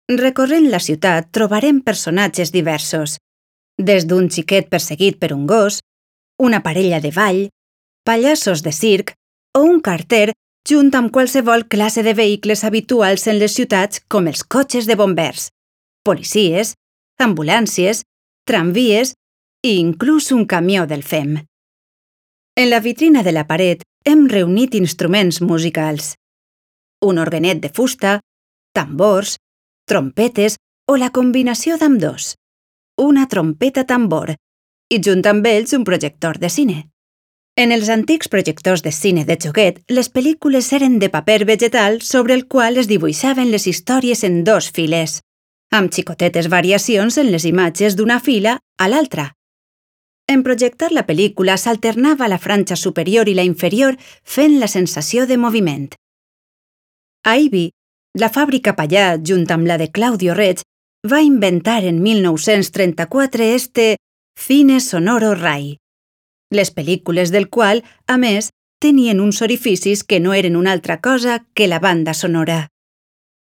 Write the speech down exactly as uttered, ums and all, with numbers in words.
Recorrent la ciutat trobarem personatges diversos, des d'un xiquet perseguit per un gos, una parella de ball, pallassos de circ o un carter junt amb qualsevol classe de vehicles habituals en les ciutats com els cotxes de bombers, policies, ambulàncies, tramvies i inclús un camió del F E M. En la vitrina de la paret hem reunit instruments musicals. Un orguenet de fusta, tambors, trompetes o la combinació d'ambdós. Una trompeta-tambor i junt amb ells un projector de cine. En els antics projectors de cine de joguet, les pel·lícules eren de paper vegetal sobre el qual es dibuixaven les històries en dos files, amb xicotetes variacions en les imatges d'una fila a l'altra. En projectar la pel·lícula s'alternava la franja superior i la inferior fent la sensació de moviment. A Ibi, la fàbrica Pallà, junt amb la de Claudio Reig, va inventar en mil nou-cents trenta-quatre este Cine Sonoro Rai, les pel·lícules del qual, a més, tenien uns orificis que no eren una altra cosa que la banda sonora.